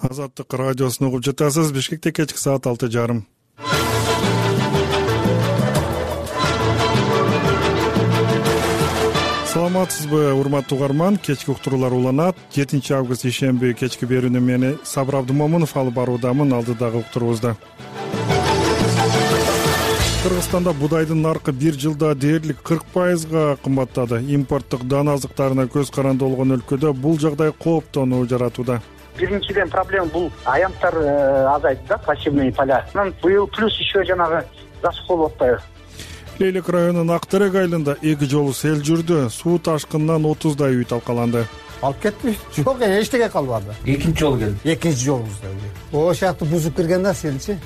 Азаттык радиосун угуп жатасыз. Бишкекте кечки саат 6:30. Саламатсызбы, урматтуу угарман? Кечки уктуруулар уланат. 7 август ишемби кечки берүүнү мени Сабыр Абдымомунов алып баруудамын. Алдыдагы уктуруубузда Кыргызстанда будайдын наркы бир жылда дээрлик 40% кымбаттады. Импорттук дан азыктарына көз каранды болгон өлкөдө бул жагдай кооптонуу жаратууда. Биринчиден проблема бул аянттар азайды да, пассивный поля. Быйыл плюс еще жанагы засуха болуп атпайбы. Лейлек районунун Актерек айылында 2 жолу сел жүрдү. Суу ташкынынан 30дай үй талкаланды. Алып кетти? Жок, эчтеке калбады. Экинчи жолу келди. Экинчи жолубузда. Ошакты бузуп кирген да сенчи.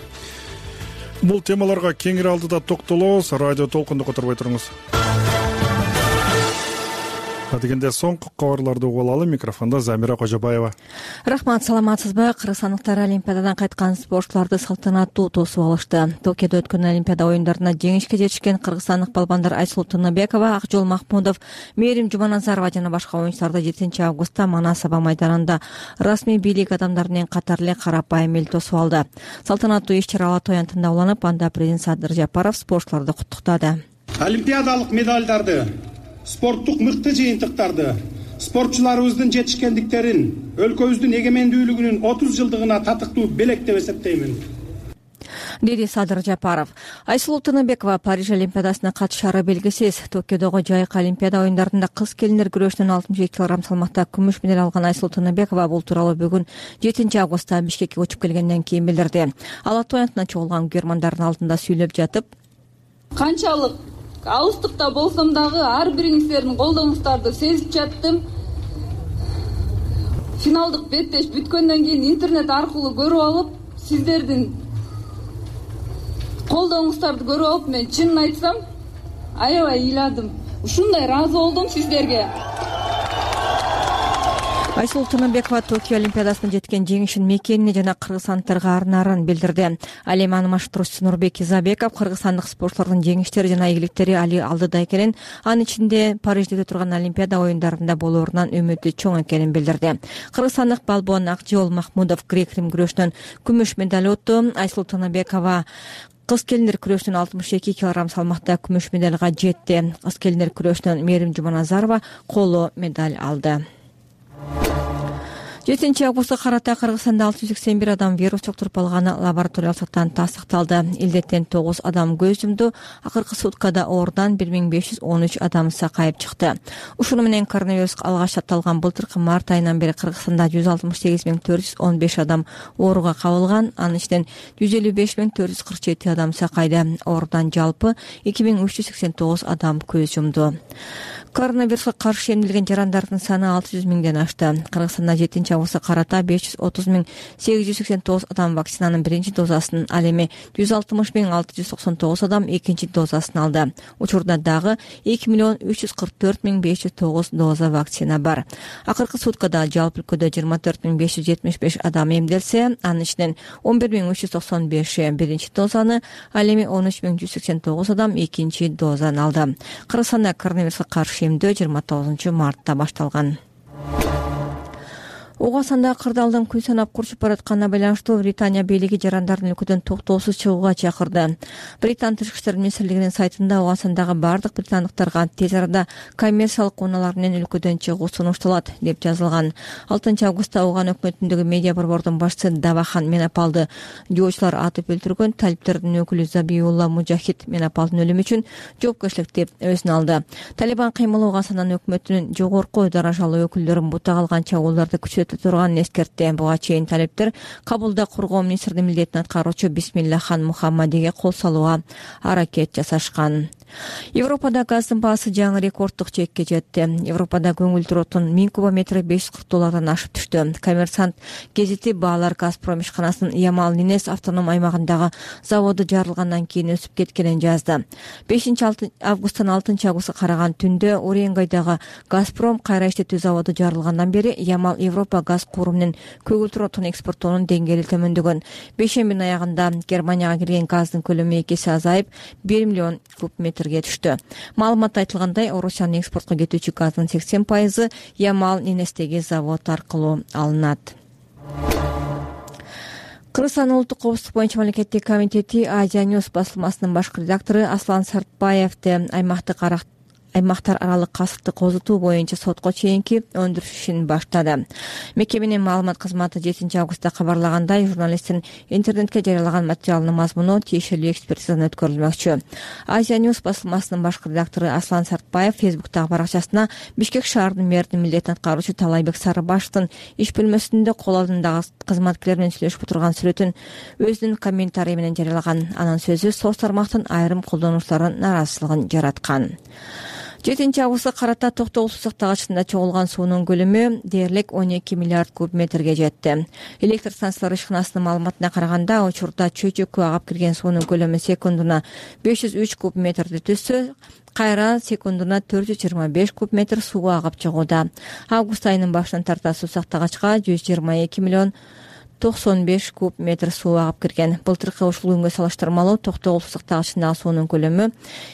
Бул темаларга кеңири алдыда токтолобуз. Радио толкунду которбой туруңуз. Дегенде соңку кабарларды угуп алалы. Микрофондо Замира Кожобаева. Рахмат, саламатсызбы? Кыргызстандыктар Олимпиададан кайткан спортчуларды салтанаттуу тосуп алышты. Токиодо өткөн Олимпиада оюндарына жеңишке жетишкен кыргызстандык балбандар Айсулуу Тыныбекова, Акжол Махмудов, Мээрим Жуманазарова жана башка оюнчуларды 7 августта Манас аба майданында расмий бийлик адамдарынын катары эле карапайым эл тосуп алды. Салтанаттуу иш-чара Ала Тоо аянтында уланып, анда президент Садыр Жапаров спортчуларды куттуктады. Олимпиадалык медалдарды, спорттук мыкты жыйынтыктарды, спортчуларыбыздын жетишкендиктерин өлкөбүздүн эгемендүүлүгүнүн 30 жылдыгына татыктуу белек деп эсептеймин, деди Садыр Жапаров. Айсулуу Тыныбекова Париж Олимпиадасына катышары белгисиз. Токиодогу жайкы Олимпиада оюндарында кыз келиндер күрөшүнөн 62 кг салмакта күмүш медаль алган Айсулуу Тыныбекова бул тууралуу бүгүн 7 августта Бишкекке учуп келгенден кийин билдирди. Ала Тоо аянтына чогулган көрөрмандардын алдында сүйлөп жатып, канчалык алыстыкта болсом дагы ар бириңиздердин колдооңуздарды сезип жаттым. Финалдык беттеш бүткөндөн кийин интернет аркылуу көрүп алып, сиздердин колдооңуздарды көрүп алып, мен чынын айтсам, аябай ыйладым. Ушундай ыраазы болдум сиздерге. Айсулуу Тыныбекова Токио Олимпиадасына жеткен жеңишин мекенине жана кыргызстандыктарга арнаарын билдирди. Ал эми анын маштыруучусу Нурбек Изабеков кыргызстандык спортчулардын жеңиштери жана ийгиликтери али алдыда экенин, анын ичинде Парижде өтө турган Олимпиада оюндарында болоорунан үмүтү чоң экенин билдирди. Кыргызстандык балбон Акжол Махмудов грек-рим күрөшүнөн күмүш медаль утту. Айсулуу Тыныбекова кыз келиндер күрөшүнөн 62 кг салмакта күмүш медальга жетти. Кыз келиндер күрөшүнөн Мээрим Жуманазарова коло медаль алды. 7 августка карата Кыргызстанда 681 адам вирус чоктуруп алганы лабораториялыктан тастыкталды. Илдеттен 9 адам көз жумду. Акыркы суткада оорудан 1513 адам сакайып чыкты. Ушуну менен коронавирус алгач апталган былтыркы март айынан бери Кыргызстанда 168415 адам ооруга кабылган. Анын ичинен 155447 адам сакайды. Оорудан жалпы 2389 адам көз жумду. Коронавируска каршы эмдилген жарандардын саны 600 миңден ашты. Кыргызстанда 7 августка карата 530,889 адам вакцинанын биринчи дозасын, ал эми 160,699 адам экинчи дозасын алды. Учурда дагы 2,344,509 доза вакцина бар. Акыркы суткада жалпы өлкөдө 24,575 адам эмделсе, анын ичинен 11,395 биринчи дозаны, ал эми 13,189 адам экинчи дозаны алды. Кыргызстанда коронавируска каршы эмдөө 29 мартта башталган. Ого санда кырдаалдын күн санап курчуп баратканына байланыштуу Британия бийлиги жарандардын өлкөдөн токтоосуз чыгууга чакырды. Британ тышкы иштер министрлигинин сайтында ого сандагы бардык британдыктарга тез арада коммерциялык унаалар менен өлкөдөн чыгуу сунушталат деп жазылган. 6 августта Оган өкмөтүндөгү медиа борбордун башчысы Давахан Менапалды жоочулар атып өлтүргөн талиптердин өкүлү Забиулла Мужахид Менапалдын өлүмү үчүн жоопкерчиликти өзүнө алды. Талибан кыймылы Ого санданын өкмөтүнүн жогорку даражалуу өкүлдөрүн бутак алган чабуулдарды күчөтө турганын эскертти. Буга чейин талиптер Кабулда коргоо министринин милдетин аткаруучу Бисмиллахан Мухаммадиге кол салууга аракет жасашкан. Европада газдын баасы жаңы рекорддук чекке жетти. Европада көңүлдүү отун 1000 кубометри $540 ашып түштү. Коммерсант гезити баалар Газпром ишканасынын Ямал Нинес автоном аймагындагы заводу жарылгандан кийин өсүп кеткенин жазды. 5 августтан 6 августка караган түндө Уренгойдагы Газпром кайра иштетүү заводу жарылгандан бери Ямал Европа газ куру менен көгүлтүр отун экспорттоонун деңгээли төмөндөгөн. Бейшембинин аягында Германияга кирген газдын көлөмү 2 эсе азайып 1 миллион куб метрге түштү. Маалыматта айтылгандай, Орусиянын экспортко кетүүчү газдын 80% Ямал Нинестеги завод аркылуу алынат. Кыргызстан улуттук коопсуздук боюнча мамлекеттик комитети Азия News басылмасынын башкы редактору Аслан Сартбаевди аймактар аралык касыпты козутуу боюнча сотко чейинки өндүрүш ишин баштады. Мекеменин маалымат кызматы 7 августта кабарлагандай, журналисттин интернетке жарыялаган материалынын мазмуну тиешелүү экспертизадан өткөрүлмөкчү. Азия News басылмасынын башкы редактору Аслан Сартбаев Фейсбуктагы баракчасына Бишкек шаарынын мэринин милдетин аткаруучу Талайбек Сарыбашевдин иш бөлмөсүндө кол алдындагы кызматкерлер менен сүйлөшүп отурган сүрөтүн өзүнүн комментарий менен жарыялаган. Анын сөзү соц тармактын айрым колдонуучуларынын нааразычылыгын жараткан. 7 августка карата Токтогул суу сактагычында чогулган суунун көлөмү дээрлик 12 миллиард куб метрге жетти. Электр станциялары ишканасынын маалыматына караганда, учурда чөйчөккө агып кирген суунун көлөмү секундуна 503 куб метрди түзсө, кайра секундуна 425 куб метр суу агып чыгууда. Август айынын башынан тарта суу сактагачка 122 миллион 95 куб метр суу агып кирген. Былтыркы ушул күнгө салыштырмалуу Токтогул суу сактагычындагы суунун көлөмү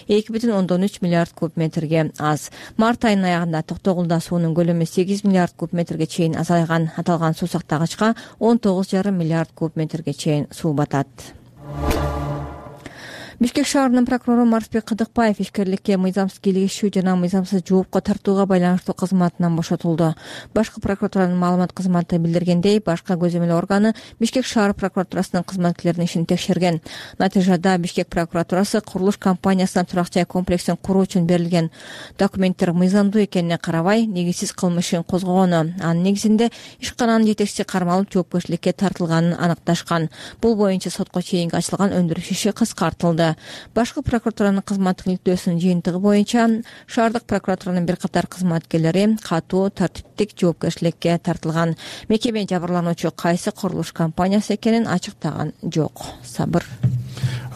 2,3 миллиард куб метрге аз. Март айынын аягында Токтогулда суунун көлөмү 8 миллиард куб метрге чейин азайган. Аталган суу сактагычка 19,5 миллиард куб метрге чейин суу батат. Бишкек шаарынын прокурору Марсбек Кыдыкбаев ишкерликке мыйзамсыз кийлигишүү жана мыйзамсыз жоопко тартууга байланыштуу кызматынан бошотулду. Башкы прокуратуранын маалымат кызматы билдиргендей, башка көзөмөл органы Бишкек шаар прокуратурасынын кызматкерлеринин ишин текшерген. Натыйжада Бишкек прокуратурасы курулуш компаниясына турак жай комплексин куруу үчүн берилген документтер мыйзамдуу экенине карабай, негизсиз кылмыш ишин козгогону, анын негизинде ишкананын жетекчиси кармалып жоопкерчиликке тартылганын аныкташкан. Бул боюнча сотко чейинки ачылган өндүрүш иши кыскартылды. Башкы прокуратуранын кызматтык иликтөөсүнүн жыйынтыгы боюнча шаардык прокуратуранын бир катар кызматкерлери катуу тартиптик жоопкерчиликке тартылган. Мекеме жабырлануучу кайсы курулуш компаниясы экенин ачыктаган жок. Сабыр.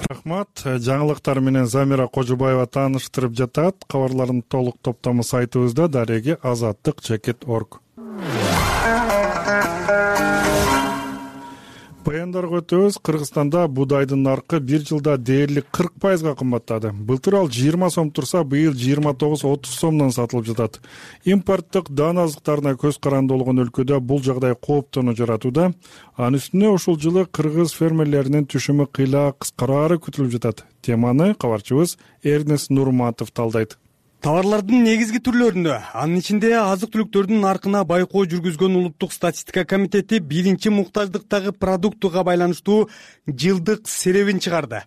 Рахмат. Жаңылыктар менен Замира Кожубаева тааныштырып жатат. Кабарлардын толук топтому сайтыбызда daregi-azаттыk.org. Баяндарга өтөбүз. Кыргызстанда буудайдын наркы бир жылда дээрлик 40% кымбаттады. Былтыр ал 20 сом турса, быйыл 29-30 сомдон сатылып жатат. Импорттук дан азыктарына көз каранды болгон өлкөдө бул жагдай кооптону жаратууда. Анын үстүнө ушул жылы кыргыз фермерлеринин түшүмү кыйла кыскарары күтүлүп жатат. Теманы кабарчыбыз Эрнест Нурматов талдайт. Товарлардын негизги түрлөрүндө, анын ичинде азык-түлүктөрдүн наркына байкоо жүргүзгөн Улуттук статистика комитети биринчи муктаждыктагы продуктуга байланыштуу жылдык серебин чыгарды.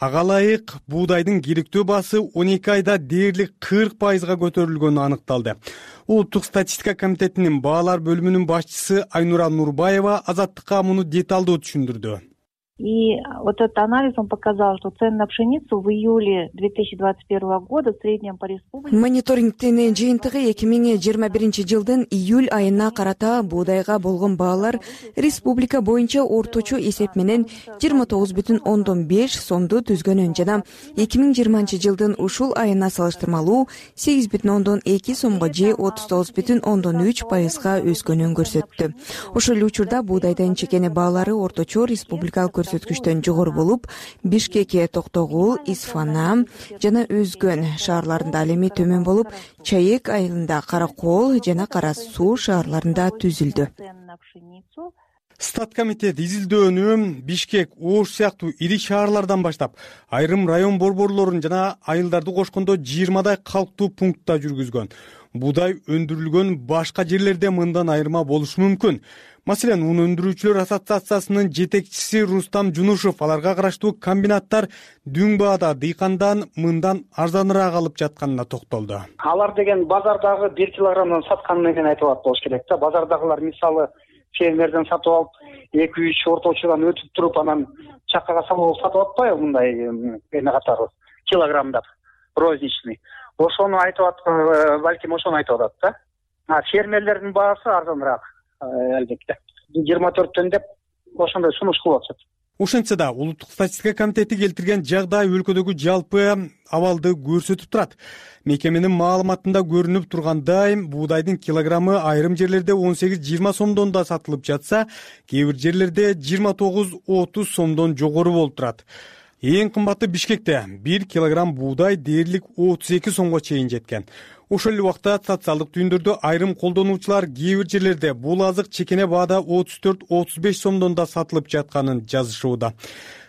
Ага ылайык буудайдын керектөө баасы 12 айда дээрлик 40% көтөрүлгөнү аныкталды. Улуттук статистика комитетинин баалар бөлүмүнүн башчысы Айнура Нурбаева Азаттыкка муну деталдуу түшүндүрдү. И вот этот анализ, он показал, что цены на пшеницу в июле 2021 года в среднем по республике... Мониторингтин жыйынтыгы 2021 жылдын июль айына карата буудайга болгон баалар республика боюнча орточо эсеп менен 29,5 сомду түзгөнүн жана 2020 жылдын ушул айына салыштырмалуу 8,2 сомго же 39,3% өскөнүн көрсөттү. Ошол учурда буудайдын чекени баалары орточо республикалык көрсөткүчтөн жогору болуп, Бишкек, Токтогул, Исфана жана Өзгөн шаарларында ал эми төмөн болуп, Чайык айылында, Каракол жана Кара Суу шаарларында түзүлдү. Статкомитет изилдөөнү Бишкек, Ош сыяктуу ири шаарлардан баштап, айрым район борборлорун жана айылдарды кошкондо 20дай калктуу пунктта жүргүзгөн. Буудай өндүрүлгөн башка жерлерде мындан айырма болушу мүмкүн. Маселен, ун өндүрүүчүлөр ассоциациясынын жетекчиси Рустам Жунушев аларга караштуу комбинаттар дүң баада дыйкандан мындан арзаныраак алып жатканына токтолду. Алар деген базардагы 1 килограммдан сатканы менен айтып болуш керек да. Базардагылар мисалы фермерден сатып алып, 2-3 орточудан өтүп туруп, анан чаккага салып сатып атпайбы мындай эме катары килограммдап розничный. Ошону айтып аткан, балким ошону айтып атат да. Фермерлердин баасы арзаныраак. Албетте 24 деп ошондой сунуш кылып атышат. Ошентсе да Улуттук статистика комитети келтирген жагдай өлкөдөгү жалпы абалды көрсөтүп турат. Мекеменин маалыматында көрүнүп тургандай, буудайдын килограммы айрым жерлерде 18-20 сомдон да сатылып жатса, кээ бир жерлерде 29-30 сомдон жогору болуп турат. Эң кымбаты Бишкекте 1 килограмм буудай дээрлик 32 сомго чейин жеткен. Ошол эле убакта социалдык түйүндөрдө айрым колдонуучулар кээ бир жерлерде бул азык чекене баада 34-35 сомдон да сатылып жатканын жазышууда.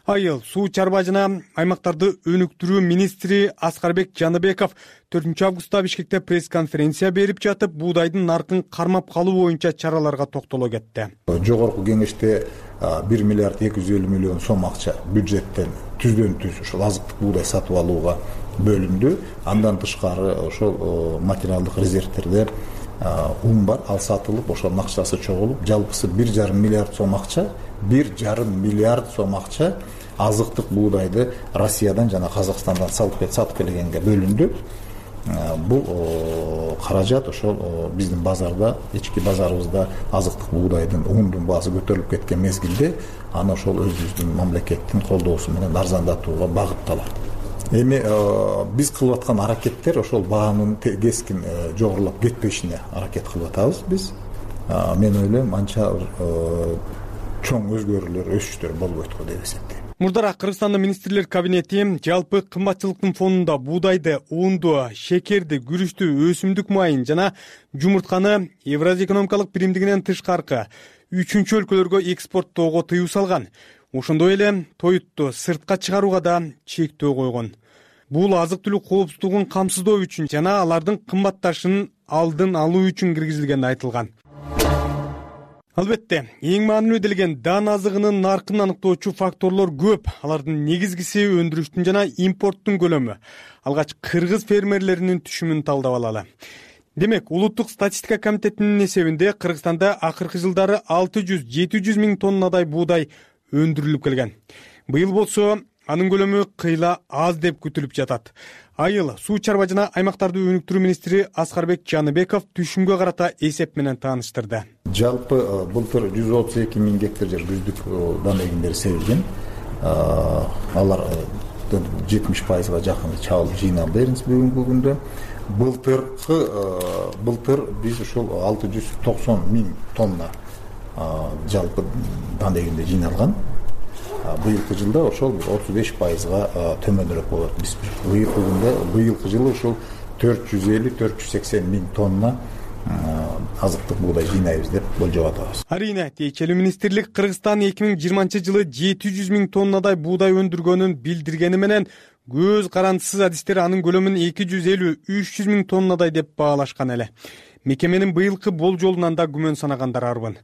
Айыл суу чарба жана аймактарды өнүктүрүү министри Аскарбек Жаныбеков 4 августта Бишкекте пресс-конференция берип жатып, буудайдын наркын кармап калуу боюнча чараларга токтоло кетти. Жогорку кеңеште 1 миллиард 250 миллион сом акча бюджеттен түздөн-түз ошол азыктык буудай сатып алууга бөлүндү. Андан тышкары ошол материалдык резервтерде ун бар, ал сатылып, ошонун акчасы чогулуп, жалпысы 1,5 миллиард сом акча, 1,5 миллиард сом акча азыктык буудайды Россиядан жана Казакстандан сатып келгенге бөлүндү. Бул каражат ошол биздин базарда, ички базарыбызда азыктык буудайдын, ундун баасы көтөрүлүп кеткен мезгилде аны ошол өзүбүздүн мамлекеттин колдоосу менен арзандатууга багытталат. Эми биз кылып аткан аракеттер ошол баанын кескин жогорулап кетпешине аракет кылып атабыз биз. Мен ойлойм анча чоң өзгөрүүлөр, өсүштөр болбойт го деп эсептейм. Мурдараак Кыргызстандын министрлер кабинети жалпы кымбатчылыктын фонунда буудайды, унду, шекерди, күрүчтү, өсүмдүк майын жана жумуртканы Евразия экономикалык биримдигинен тышкаркы 3 өлкөлөргө экспорттоого тыюу салган. Ошондой эле тоютту сыртка чыгарууга да чектөө койгон. Бул азык-түлүк коопсуздугун камсыздоо үчүн жана алардын кымбатташынын алдын алуу үчүн киргизилгени айтылган. Албетте, эң маанилүү делген дан азыгынын наркын аныктоочу факторлор көп. Алардын негизгиси өндүрүштүн жана импорттун көлөмү. Алгач кыргыз фермерлеринин түшүмүн талдап алалы. Демек, Улуттук статистика комитетинин эсебинде Кыргызстанда акыркы жылдары 600-700 миң тоннадай буудай өндүрүлүп келген. Быйыл болсо анын көлөмү кыйла аз деп күтүлүп жатат. Айыл суу чарба жана аймактарды өнүктүрүү министри Аскарбек Жаныбеков түшүмгө карата эсеп менен тааныштырды. Жалпы былтыр 132 миң гектар жер күздүк дан эгиндери себилген. Алар 70%га жакын чабылып жыйналды бүгүнкү күндө. Былтыр биз ошол 690 миң тонна жалпы дан эгинде жыйналган. Быйылкы жылда ошол 35%га төмөнүрөөк болот. Биз быйылкы жылы ошол 450-480 миң тонна азыктык буудай жыйнайбыз деп болжоп атабыз. Арийне, тиешелүү министрлик Кыргызстан 2020 жылы 700 миң тоннадай буудай өндүргөнүн билдиргени менен көз карандысыз адистер анын көлөмүн 250-300 миң тоннадай деп баалашкан эле. Мекеменин быйылкы болжолунан да күмөн санагандар арбын.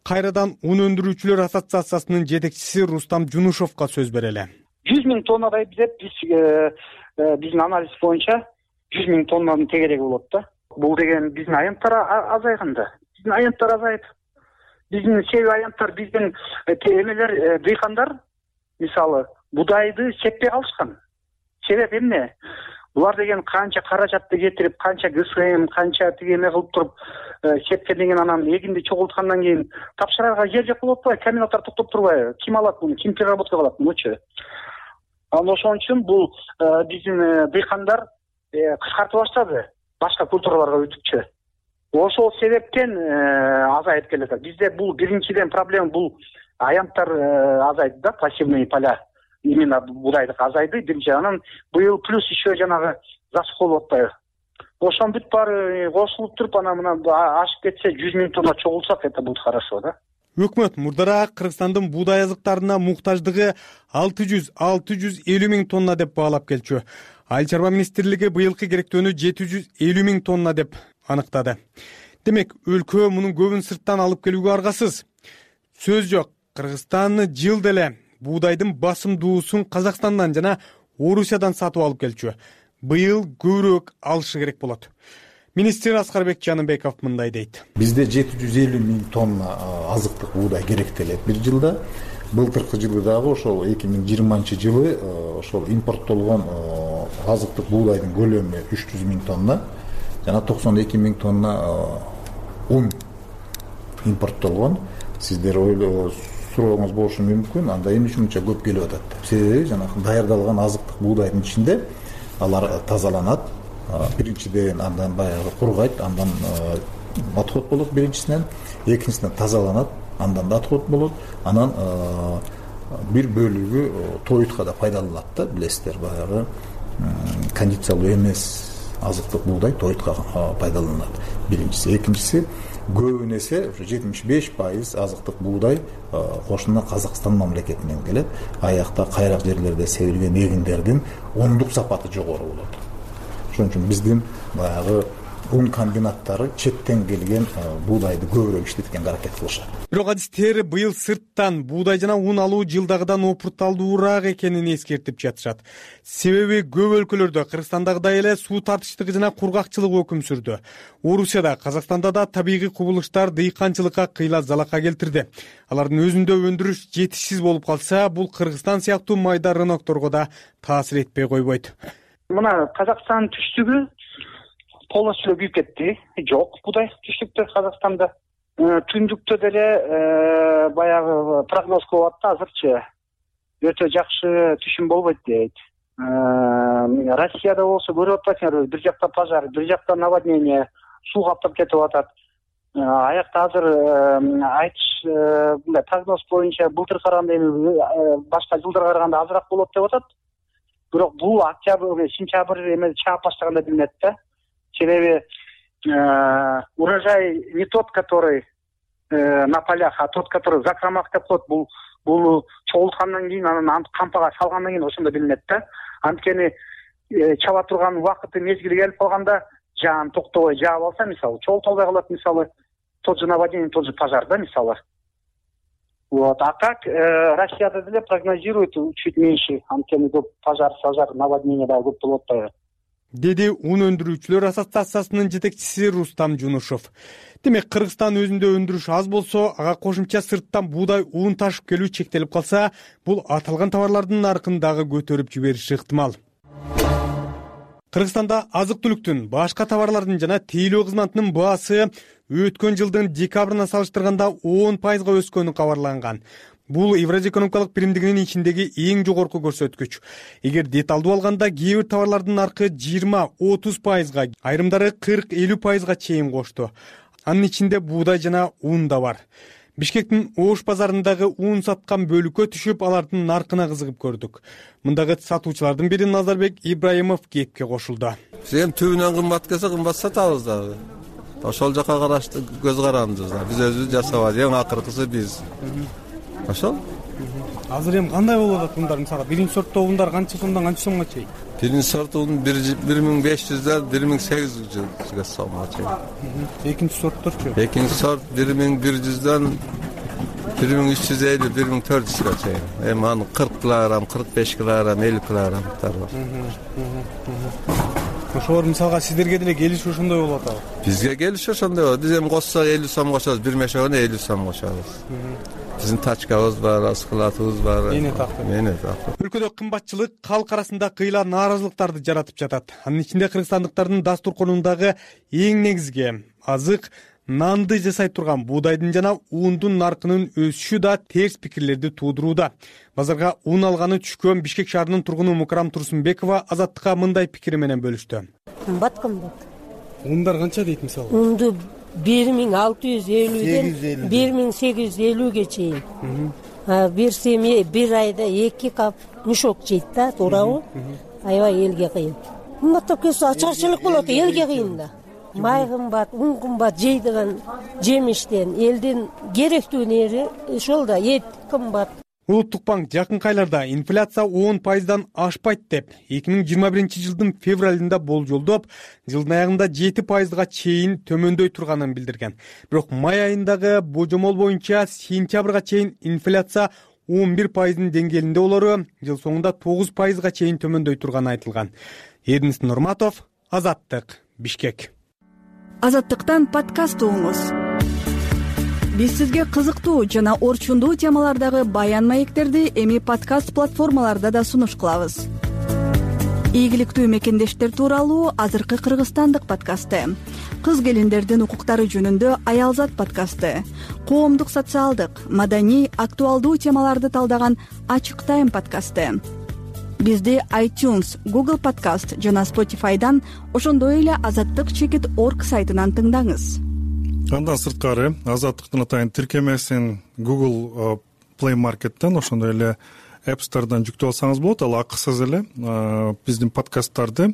Кайрадан ун өндүрүүчүлөр ассоциациясынын жетекчиси Рустам Жунушовго сөз берели. 100 миң тоннадай деп биздин анализ боюнча 100 миң тоннанын тегереги болот да. Бул деген биздин аянттар азайган да. Биздин аянттар азайып. Биздин себеби аянттар, биздин эмелер, дыйкандар мисалы будайды сеппей калышкан. Себеп эмне? Булар деген канча каражатты кетирип, канча ГСМ, канча тигеме кылып туруп сепкенден кийин анан эгинди чогулткандан кийин тапшырарга жер жок болуп атпайбы? Комбинаттар токтоп турбайбы? Ким алат муну? Ким переработка кылат мунучу? Анан ошон үчүн бул биздин дыйкандар кыскартып баштады. Башка культураларга өтүпчү. Ошол себептен азайып келет. Бизде бул биринчиден проблема бул аянттар азайды да, пассивный поля. Именно будайдык азайды биринчи. Анан быйыл плюс еще жанагы засуха болуп атпайбы? Ошон бүт баары кошулуп туруп анан мына ашып кетсе 100 миң тонна чогулсак, это будет хорошо, да? Өкмөт мурдараак Кыргызстандын буудай азыктарына муктаждыгы 600-650 миң тонна деп баалап келчү. Айыл чарба министрлиги быйылкы керектөөнү 750 миң тонна деп аныктады. Демек, өлкө мунун көбүн сырттан алып келүүгө аргасыз. Сөз жок, Кыргызстан жыл деле буудайдын басымдуусун Казакстандан жана Орусиядан сатып алып келчү. Быйыл көбүрөөк алышы керек болот. Министр Аскарбек Жаныбеков мындай дейт. Бизде 750 миң тонна азыктык буудай керектелет бир жылда. Былтыркы жылы дагы ошол 2020 жылы ошол импорттолгон азыктык буудайдын көлөмү 300 миң тонна жана 92 миң тонна ун импорттолгон. Сиздер сурооңуз болушу мүмкүн, анда эмне үчүн мынча көп келип атат деп. Себеби жанагы даярдалган азыктык буудайдын ичинде алар тазаланат. Биринчиден андан баягы кургайт, андан отход болот биринчисинен, экинчисинен тазаланат, андан да отход болот. Анан бир бөлүгү тоютка да пайдаланат да, билесиздер, баягы кондициялуу эмес азыктык буудай тойтко пайдаланат. Биринчиси. Экинчиси, көбүн эсе ушу 75% азыктык буудай кошуна Казакстан мамлекетинен келет. Аякта кайрак жерлерде себилген эгиндердин ондук сапаты жогору болот. Ошон үчүн биздин баягы ун комбинаттары четтен келген буудайды көбүрөөк иштеткенге аракет кылышат. Бирок адистер быйыл сырттан буудай жана un алуу жылдагыдан опурталдуураак экенин эскертип жатышат. Себеби көп өлкөлөрдө Кыргызстандагыдай эле суу тартыштыгы жана кургакчылык өкүм сүрдү. Орусияда, Казакстанда да табигый кубулуштар дыйканчылыкка кыйла залака келтирди. Алардын өзүндө өндүрүш жетишсиз болуп калса, бул Кыргызстан сыяктуу майда рынокторго да таасир этпей койбойт. Мына Казакстан түштүгү полностью күйүп кетти. Жок буудай түштүктө Казакстанда. Түндүктө деле баягы прогноз кылып атты азырчы. Өтө жакшы түшүм болбойт дейт. Россияда болсо көрүп атпайсыңарбы, бир жакта пожар, бир жакта наводнение, суу каптап кетип атат. Аякта азыр айтыш мындай прогноз боюнча былтыр караганда башка жылдарга караганда азыраак болот деп атат. Бирок бул октябрь, сентябрь эме чаап баштаганда билинет да. Себеби урожай не тот, который на полях, а тот, который закромах деп коет. Бул чогулткандан кийин, анан кампага салгандан кийин ошондо билинет да. Анткени чаба турган убакыты, мезгили келип калганда жаан токтобой жаап алса, мисалы, чогултолбой калат, мисалы, тот же наводнение, тот же пожар, да, мисалы. Вот. А так Россияда деле прогнозирует чуть меньше, анткени көп пожар, наводнение да көп болуп атпайбы, деди un өндүрүүчүлөр ассоциациясынын жетекчиси Рустам Жунушов. Демек, Кыргызстан өзүндө өндүрүш аз болсо, ага кошумча сырттан буудай un ташып келүү чектелип калса, бул аталган товарлардын наркын дагы көтөрүп жибериши ыктымал. Кыргызстанда азык-түлүктүн, башка товарлардын жана тейлөө кызматынын баасы өткөн жылдын декабрына салыштырганда 10% өскөнү кабарланган. Бул Евразия экономикалык биримдигинин ичиндеги эң жогорку көрсөткүч. Эгер деталдуу алганда, кээ бир товарлардын наркы 20-30%, айрымдары 40-50%га чейин кошту. Анын ичинде буудай жана un да бар. Бишкектин Ош базарындагы un саткан бөлүккө түшүп, алардын наркына кызыгып көрдүк. Мындагы сатуучулардын бири Назарбек Ибраимов кепке кошулду. Биз эми түбүнөн кымбат келсе, кымбат сатабыз дагы. Ошол жака карашты көз карандыбыз. Биз өзүбүз жасабайбыз, эң акыркысы биз. Ошол. Азыр эми кандай болуп атат ундар? Мисалы, биринчи сорттоо ундар канча сомдон канча сомго чейин? Биринчи сорт un 1500ден 1800 сомго чейин. Экинчи сортторчу? Экинчи сорт 1100ден 1350, 1400га чейин. Эми аны 40 килограмм, 45 килограмм, 50 килограммдар бар. Ошолор мисалга сиздерге деле келиш ошондой болуп атабы? Бизге келиш ошондой болот. Биз эми коссок 50 сом кошобуз, бир мешогуна 50 сом кошобуз. Биздин тачкабыз бар, складыбыз бар. Мени тактып. Өлкөдө кымбатчылык калк арасында кыйла нааразылыктарды жаратып жатат. Анын ичинде кыргызстандыктардын дастурконундагы эң негизги азык, нанды жасай турган буудайдын жана ундун наркынын өсүшү да терс пикирлерди туудурууда. Базарга un алганы түшкөн Бишкек шаарынын тургуну Мукрам Турсунбекова Азаттыкка мындай пикири менен бөлүштү. Кымбат. Ундар канча дейт мисалы? Унду 1650ден 1850ге чейин. Бир семья бир айда 2 кап мешок жейт да, туурабы? Аябай элге кыйын. Кымбаттап кетсе ачарчылык болот, элге кыйын да. Май кымбат, un кымбат, жейдиган жемиштен элдин керектүү нери ошол да, эт кымбат. Улуттук банк жакынкы айларда инфляция 10%дан ашпайт деп 2021 жылдын февралында болжолдоп, жылдын аягында 7%га чейин төмөндөй турганын билдирген. Бирок май айындагы божомол боюнча сентябрга чейин инфляция 11%дын деңгээлинде болору, жыл соңунда 9%га чейин төмөндөй турганы айтылган. Эрдинис Нурматов, Азаттык, Бишкек. Азаттыктан подкаст угуңуз. Биз сизге кызыктуу жана орчундуу темалардагы баян маектерди эми подкаст платформаларда да сунуш кылабыз. Ийгиликтүү мекендештер тууралуу азыркы кыргызстандык подкасты, кыз келиндердин укуктары жөнүндө Аялзат подкасты, коомдук социалдык, маданий, актуалдуу темаларды талдаган Ачык Тайм подкасты. Бизди iTunes, Google Podcast жана Spotify'дан, ошондой эле azattyk.org сайтынан тыңдаңыз. Андан сырткары Азаттыктын атайын тиркемесин Google Play Market'тен, ошондой эле App Store'дан жүктөп алсаңыз болот. Ал акысыз эле биздин подкасттарды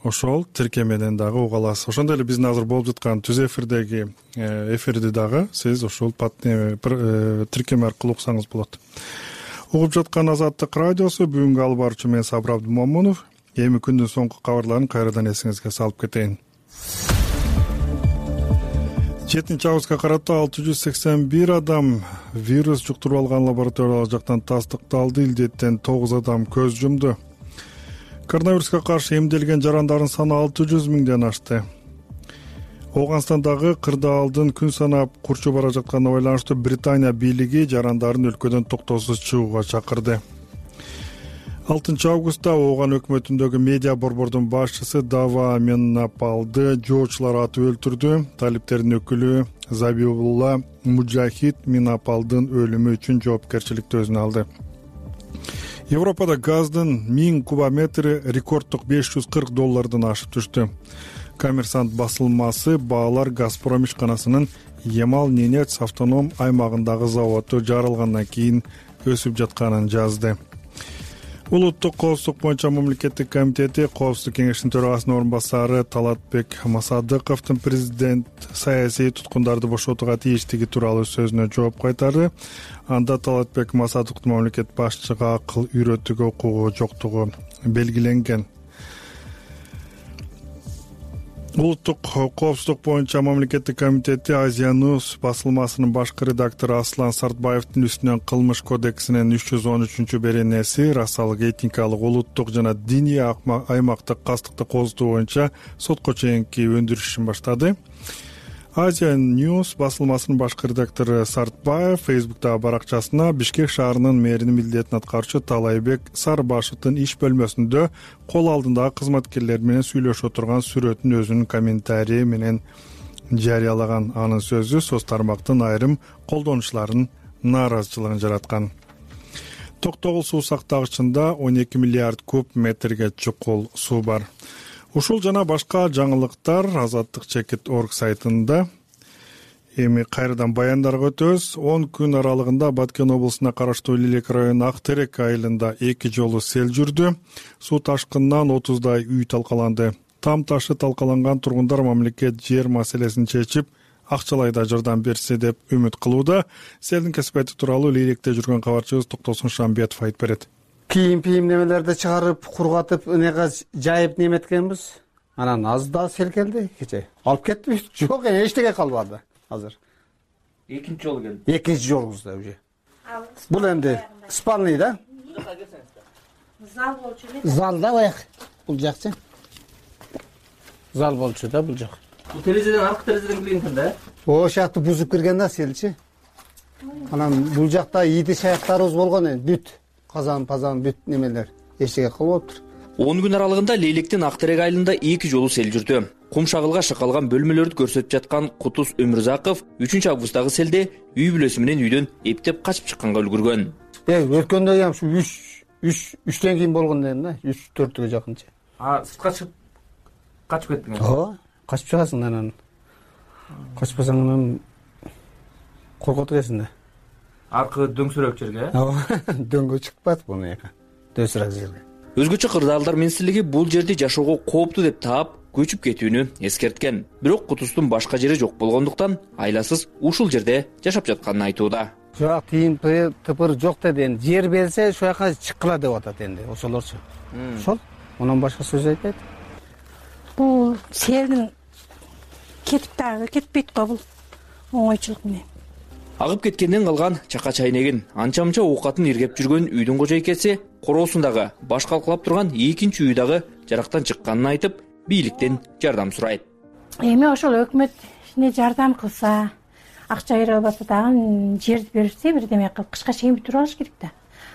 ошол тиркемеден дагы уга аласыз. Ошондой эле биздин азыр болуп жаткан түз эфирдеги эфирди дагы сиз ошол тиркеме аркылуу уксаңыз болот. Угуп жаткан Азаттык радиосу, бүгүнкү алып баруучу мен Сабыр Абдымомунов. Эми күндүн соңку кабарларын кайрадан эсиңизге салып кетейин. 7-августка карата 681 адам вирус жуктуруп алган лабораториялык жактан тастыкталды. Илдеттен 9 адам көз жумду. Коронавируска каршы эмделген жарандардын саны 600 миңден ашты. Ооганстандагы кырдаалдын күн санап курчуп бара жатканына байланыштуу Британия бийлиги жарандарын өлкөдөн токтоосуз чыгууга чакырды. 6-августта Ооган өкмөтүндөгү медиа борбордун башчысы Дава Меннапалды жоочулар атып өлтүрдү. Талиптердин өкүлү Забиулла Мужахид Меннапалдын өлүмү үчүн жоопкерчиликти өзүнө алды. Европада газдын 1000 кубометри рекорддук $540 ашып түштү. Коммерсант басылмасы баалар Газпром ишканасынын Ямал-Ненец автоном аймагындагы заводу жарылгандан кийин өсүп жатканын жазды. Улуттук коопсуздук боюнча мамлекеттик комитети Коопсуздук кеңешинин төрагасынын орун басары Талатбек Масадыковдун президент саясий туткундарды бошотууга тийиштиги тууралуу сөзүнө жооп кайтарды. Анда Талатбек Масадыковдун мамлекет башчыга акыл үйрөтүүгө укугу жоктугу белгиленген. Улуттук коопсуздук боюнча мамлекеттик комитети Азия News басылмасынын башкы редактору Аслан Сартбаевдин үстүнөн кылмыш кодексинин 313-беренеси расалык, этникалык, улуттук жана диний аймактык кастыкты козутуу боюнча сотко чейинки өндүрүш ишин баштады. Азия News басылмасынын башкы редактору Сартбаев Facebook'тагы баракчасына Бишкек шаарынын мэринин милдетин аткаруучу Талайбек Сарбашевдин иш бөлмөсүндө кол алдындагы кызматкерлер менен сүйлөшүп отурган сүрөтүн өзүнүн комментарии менен жарыялаган. Анын сөзү соц тармактын айрым колдонуучуларынын нааразычылыгын жараткан. Токтогул суу сактагычында 12 миллиард куб метрге чукул суу бар. Ушул жана башка жаңылыктар Азаттык.org сайтында. Эми кайрадан баяндарга өтөбүз. 10 күн аралыгында Баткен облусуна караштуу Лилек районунун Актерек айылында 2 жолу сел жүрдү. Суу ташкынынан 30дай үй талкаланды. Там ташы талкаланган тургундар мамлекет жер маселесин чечип, акчалай да жардам берсе деп үмүт кылууда. Селдин кесипети тууралуу Лилекте жүргөн кабарчыбыз Токтосун Шамбетов айтып берет. Кийим немелерди чыгарып, кургатып, өнеге жайып неметкенбиз. Анан аз да сел келди кече. Алып кеттибиз. Жок, эчтеке калбады азыр. Экинчи жолу келди. Экинчи жолубузда уже. Бул энди спальный да? Зал болчу эле. Залда баяк. Бул жакчы. Зал болчу да бул жак. Бул терезеден аркы терезеден кирген да? О шакты бузуп кирген да селчи. Анан бул жакта ийди шаяктарыбыз болгон энди бүт. Казан бүт немелер эчтеке кылып отур. 10 күн аралыгында Лейлектин Актерек айылында 2 жолу сел жүрдү. Кум шагылга шакалган бөлмөлөрдү көрсөтүп жаткан Кутуз Өмүрзаков 3-августдагы селде үй бүлөсү менен үйдөн эптеп качып чыкканга үлгүргөн. Өткөндө ham şu 3тен кийин болгон экен да, 3-4гө жакынча. Сыртка чыгып качып кеттиң. Качып чыгасың анан. Качпасаң анан коркот экенсиң да. Аркы дөңсүрөк жерге? Дөңгө чыкпат буну эка. Дөңсүрөк жерге. Өзгөчө кырдаалдар министрлиги бул жерди жашоого кооптуу деп таап, көчүп кетүүнү эскерткен. Бирок Кутуздун башка жери жок болгондуктан айласыз ушул жерде жашап жатканын айтууда. Жок, тыйын тыпыр жок деди. Жер берсе, ошол жака чыккыла деп атат энди, ошолорчу. Ошол. Онан башка сөз айтпайт. Бул селдин кетип дагы кетпейт го бул оңойчулук менен. Агып кеткенден калган чака чайнегин, анча-мынча оокатын иргеп жүргөн үйдүн кожойкеси короосундагы баш калкалап турган экинчи үй дагы жарактан чыкканын айтып, бийликтен жардам сурайт. Эми ошол өкмөт жардам кылса, акча бере албаса дагы жерди берсе, бирдеме кылып кышка чейин бүтүрүп алыш керек да.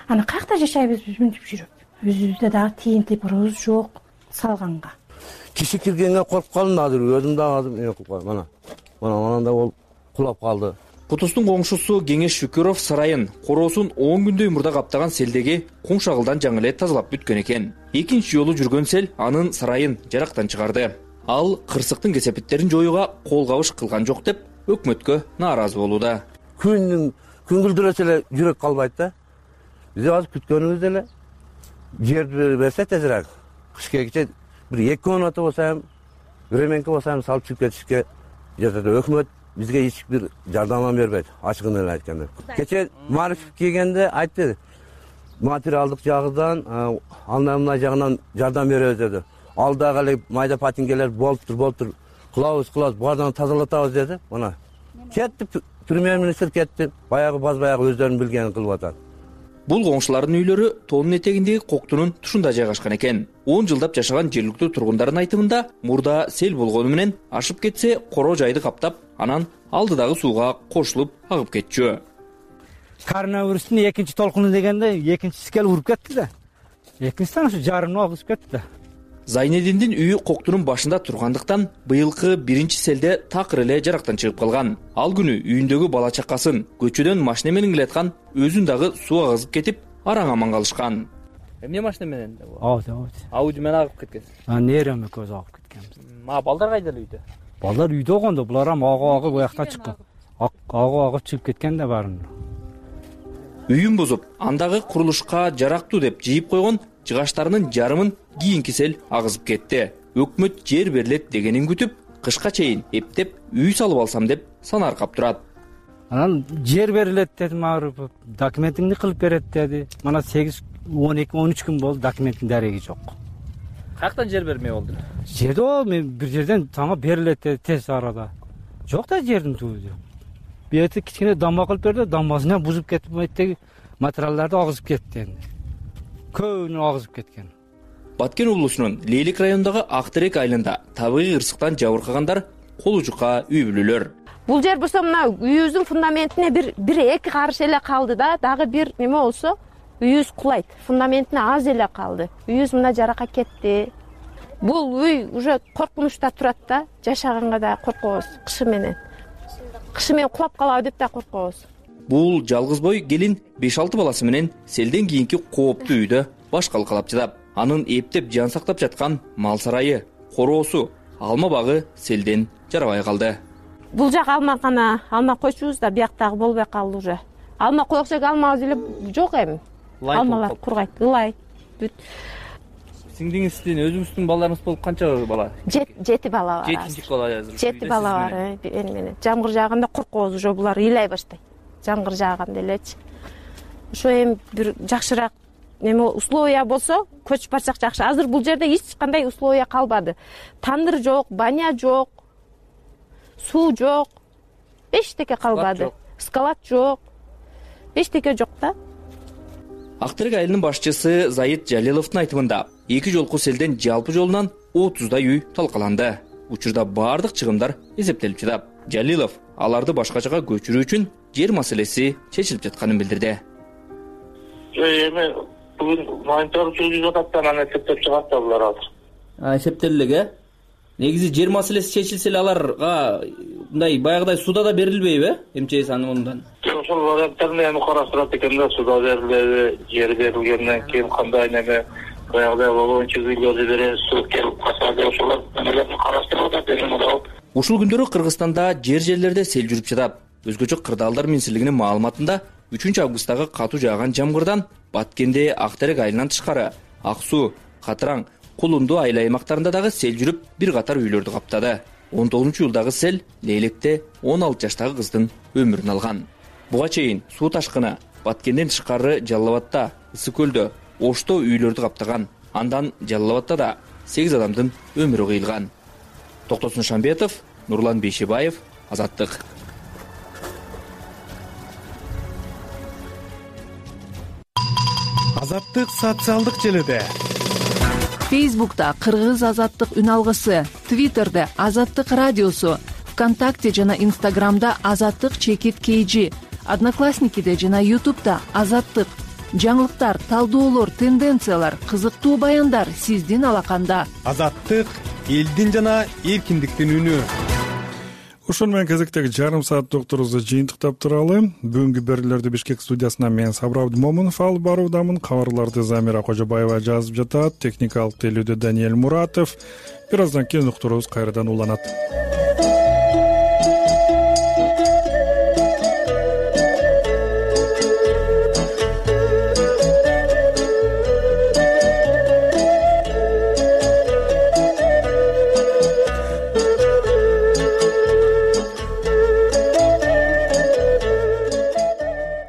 Аны каякта жашайбыз биз мынтип жүрүп? Өзүбүздө дагы тиын тыпырыбыз жок салганга. Киши киргенге коркуп калдым азыр, өзүм дагы кылып калдым. Mana да ол кулап калды. Кутуздун коңшусу Кеңеш Шүкүров сарайын короосун 10 күндөй мурда каптаган селдеги кум шагылдан жаңы эле тазалап бүткөн экен. Экинчи жолу жүргөн сел анын сарайын жарактан чыгарды. Ал кырсыктын кесепеттерин жоюуга кол кабыш кылган жок деп өкмөткө нааразы болууда. Күн күлдүрөсө эле жүрөк калбайт да. Биз азыр күткөнүбүз эле жерди берсе тезирээк. Кыш келгиче бир 2 комната болсо эми временке болсо эми салып чыгып кетишке жатат. Өкмөт бизге эч бир жардам бербейт, ачыгын эле айтканда. Кече Мариф келгенде айтты, материалдык жагынан, анда жагынан жардам беребиз деди. Алдагы эле майда патингелер болуптур, кылабыз, баардан тазалатабыз деди. Мына кетти, премьер-министр кетти, баягы өздөрүнүн билгенин кылып атат. Бул коңшулардын үйлөрү тоонун этегиндеги Коктунун тушунда жайгашкан экен. 10 жылдап жашаган жергиликтүү тургундардын айтымында, мурда сел болгону менен ашып кетсе, коро жайды каптап, анан алдыдагы сууга кошулуп агып кетчү. Коронавирустун экинчи толкуну дегенде экинчиси келип уруп кетти да. Экинчисинен ушу жарымын агызып кетти да. Зайнединдин үйү Коктунун башында тургандыктан быйылкы биринчи селде такыр эле жарактан чыгып калган. Ал күнү үйүндөгү бала чакасын көчөдөн машина менен келаткан өзүн дагы суу агызып кетип, араң аман калышкан. Эмне машина менен? Ауди менен агып кеткен. Нерем экөөбүз агып кеткенбиз. Балдар кайда үйдө? Балдар үйдө болгондо, булар ам агып буякта чыккан. Агып чыгып кеткен да баарын. Үйүн бузуп, андагы курулушка жарактуу деп жыйып койгон жыгаштарынын жарымын кийинки сел агызып кетти. Өкмөт жер берилет дегенин күтүп, кышка чейин эптеп үй салып алсам деп санаркап турат. Анан жер берилет дедим, документиңди кылып берет деди. Мана 8, 12, 13 күн болду, документтин дареги жок. Каяктан жер бермей болду? Жерде мен бир жерден тама берилет деди тез арада. Жок да жердин түбү. Бети кичине дамба кылып берди, дамбасынан бузуп кетип, меттеги материалдарды агызып кетти энди. Көбүнү агызып кеткен. Баткен облусунун Лейлик районундагы Актерек айылында табигый ырсыктан жабыркагандар колу жука үй бүлөлөр. Бул жер болсо мына үйүбүздүн фундаментине бир эки карыш эле калды да, дагы бир неме болсо үйүбүз кулайт. Фундаментине аз эле калды. Үйүбүз мына жаракка кетти. Бул үй уже коркунучта турат да, жашаганга да коркобуз кышы менен. Кышы менен кулап калабы деп да коркобуз. Бул жалгыз бой келин 5-6 баласы менен селден кийинки кооптуу үйдө баш калкалап жатат. Анын эптеп жан сактап жаткан мал сарайы, короосу, алма багы селден жарабай калды. Бул жак алмакана, алма койчубуз да бияктагы болбой калды уже. Алма коексек алмабыз эле жок эми. Алмалар кургайт, ылай. Сиңдиңиздин, өзүңүздүн балдарыңыз болуп канча бала? 7 бала бар. 7 бала азыр. 7 бала бар, менен. Жамгыр жааганда коркобуз, уже булар ыйлай баштайт. Жамгыр жааганда элечи. Ошо эми бир жакшыраак неме условия болсо, көчүп барсак жакшы. Азыр бул жерде эч кандай условия калбады. Тандыр жок, баня жок, суу жок, эчтеке калбады. Скалат жок. Эчтеке жок да. Актерек айылынын башчысы Заид Жалиловдун айтымында 2 жолку селден жалпы жолунан 30дай үй талкаланды. Учурда баардык чыгымдар эсептелип жатат. Жалилов аларды башка жака көчүрүү үчүн жер маселеси чечилип жатканын билдирди. Эми бүгүн монитор жүргүзүп атат да, анан эсептеп чыгат да булар азыр. Эсептелди. Негизи жер маселеси чечилсе эле аларга мындай баягыдай суда да берилбейби? МЧС аны мындан. Ошол варианттарды эми караштырат экен да, суда берилеби, жер берилгенден кийин кандай неме баягыдай боюнча үйлөрдү беребиз, суу келип калса деп ошолор эмелерди караштырып атат эми. Ушул күндөрү Кыргызстанда жер-жерлерде сел жүрүп жатат. Өзгөчө Кырдаалдар министрлигинин маалыматында 3 августтагы катуу жааган жамгырдан Баткенде Актерек айылынан тышкары Ак суу, Катыраң, Кулунду айыл аймактарында дагы сел жүрүп бир катар үйлөрдү каптады. 19-жылдагы сел Лейликте 16 жаштагы кыздын өмүрүн алган. Буга чейин суу ташкыны Баткенден тышкары Жалал Абадта, Ысык көлдө, Ошто үйлөрдү каптаган. Андан Жалал Абадта да 8 адамдын өмүрү кыйылган. Токтосун Шамбетов, Нурлан Бейшебаев, Азаттык. Азаттык социалдык желиде. Фейсбукта Кыргыз Азаттык үн алгысы, Твиттерде Азаттык радиосу, ВКонтакте жана Инстаграмда Азаттык чекит KG, Одноклассникиде жана Ютубта Азаттык. Жаңылыктар, талдоолор, тенденциялар, кызыктуу баяндар сиздин алаканда. Азаттык элдин жана эркиндиктин үнү. Ошону менен кезектеги жарым саат докторубузду жыйынтыктап туралы. Бүгүнкү берүүлөрдү Бишкек студиясынан мен Сабыр Абдымомунов алып баруудамын. Кабарларды Замира Кожобаева жазып жатат. Техникалык тейлөөдө Даниэль Муратов. Бир аздан кийин уктурубуз кайрадан уланат.